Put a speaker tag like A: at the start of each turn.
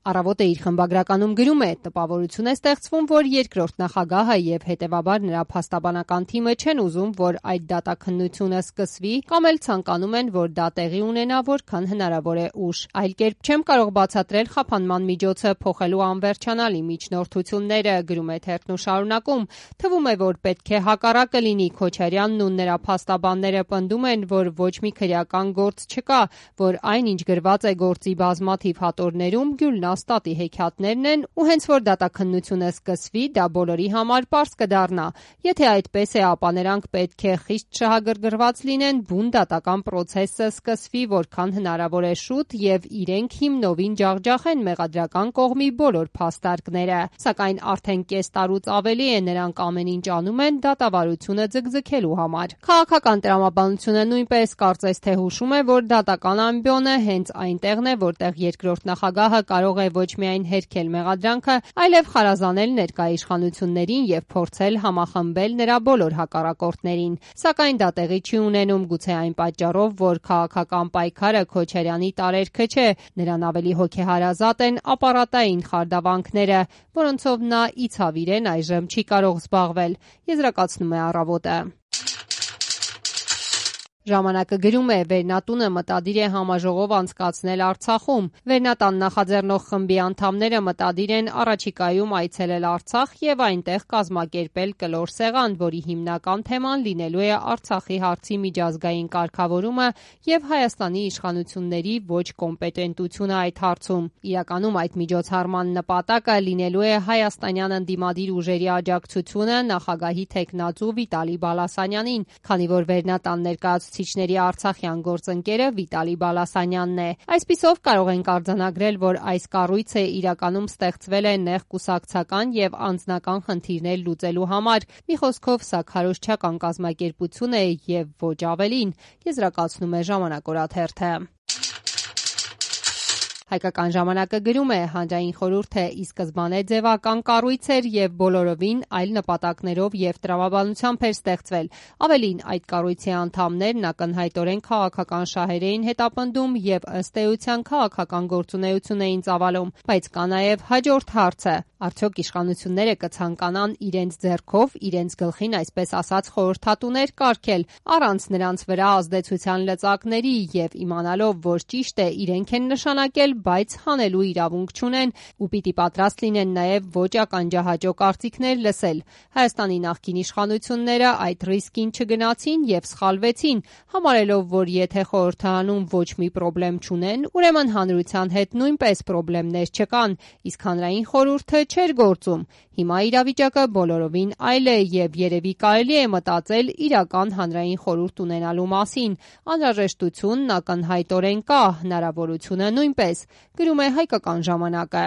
A: Առավոտը իր խմբագրականում գրում է. տպավորություն է ստեղծվում, որ երկրորդ նախագահը եւ հետեւաբար նրա փաստաբանական թիմը չեն ուզում, որ այդ դատաքննությունը սկսվի, կամ էլ ցանկանում են, որ դա տեղի ունենա որքան հնարավոր է ուշ։ Այլ կերպ չեմ կարող բացատրել խափանման միջոցը փոխելու անվերջանալի միջնորդությունները, գրում է թերթն ու շարունակում. թվում է, որ պետք է հակառակը լինի։ Քոչարյանն ու նրա փաստաբանները պնդում են, որ ոչ մի քրեական գործ չկա, որ այն, ինչ գրված է գործի բազմաթիվ հատորներում, Գյուլնաստատի հեքիաթներն են, ու հենց որ դատաքննությունը սկսվի, դա բոլորի համար պարզ կդառնա։ Եթե այդպես է, ապա նրանք պետք է խիստ շահագրգռված լինեն, բուն դատական պրոցեսը սկսվի որքան հնարավոր է շուտ եւ իրենք հիմնովին ջախջախեն մեղադրական կողմի բոլոր փաստարկները։ Սակայն արդեն կես տարուց ավելի է նրանք ամեն ինչ անում են դատավարությունը ձգձգելու համար։ Քաղաքական տրամաբանությունը նույնպես կարծես թե հուշում է, որ դատական ամբիոնը հենց այնտեղն է, որտեղ երկրորդ նախագահը կարող է ոչ միայն հերքել մեղադրանքը, այլև խարազանել ներկա իշխանություններին եւ փորձել համախմբել նրա բոլոր հակառակորդներին։ Սակայն դա տեղի չի ունենում, գուցե այն պատճառով, որ քաղաքական պայքարը Քոչարյանի տարերքը չէ, նրան ավելի հոգեհարազատ են ապարատային խարդավանքները, որոնցով նա ի ցավ իրեն այժմ չի կարող զբաղվել, եզրակացնում է Առավոտը։ Ժամանակը գրում է. Վերնատունը մտադիր է համաժողով անցկացնել Արցախում։ Վերնատան նախաձեռնող խմբի անդամները մտադիր են առաջիկայում այցելել Արցախ եւ այնտեղ կազմակերպել կլոր սեղան, որի հիմնական թեման լինելու է Արցախի հարցի միջազգային կարգավորումը եւ Հայաստանի իշխանությունների ոչ կոմպետենտությունը այդ հարցում։ Իրականում այդ միջոցառման նպատակը լինելու է հայաստանյան ընդդիմադիր ուժերի աջակցությունը նախագահի թեկնածու Վիտալի Բալասանյանին, քանի որ Վերնատան ներկայացուցիչների արցախյան գործընկերը Վիտալի Բալասանյանն է։ Այսպիսով կարող ենք արձանագրել, որ այս կառույցը իրականում ստեղծվել է նեղ կուսակցական եւ անձնական խնդիրներ լուծելու համար։ Մի խոսքով, սա քարոզչական կազմակերպություն է եւ ոչ ավելին, եզրակացնում է Ժամանակ օրաթերթը։ Հայկական ժամանակը գրում է. հանրային խորհուրդը ի սկզբանե ձևական կառույց էր եւ բոլորովին այլ նպատակներով եւ տրամաբանությամբ էր ստեղծվել։ Ավելին, այդ կառույցի անդամներն ակնհայտորեն քաղաքական շահեր էին հետապնդում եւ ըստ էության քաղաքական գործունեություն էին ծավալում։ Բայց կա նաեւ հաջորդ հարցը. արդյոք իշխանությունները կցանկանան իրենց ձեռքով, իրենց գլխին այսպես ասած խորհրդատուներ կարգել, առանց նրանց վրա ազդեցության լծակների եւ իմանալով, որ ճիշտ է իրենք են նշանակել, բայց հանելու իրավունք չունեն ու պիտի պատրաստ լինեն նաև ոչ ականջահաճո կարծիքներ լսել։ Հայաստանի նախկին իշխանությունները այդ ռիսկին չգնացին եւ սխալվեցին, համարելով, որ եթե խորհրդարանում ոչ մի պրոբլեմ չունեն, ուրեմն հանրության հետ նույնպես պրոբլեմներ չկան, իսկ հանրային խորհուրդը չէր գործում։ Հիմա իրավիճակը բոլորովին այլ է եւ երևի կարելի է մտածել իրական հանրային խորհուրդ ունենալու մասին։ Անհրաժեշտությունն ակնհայտորեն կա, հնարավորությունը նույնպես, գրում է Հայկական ժամանակը։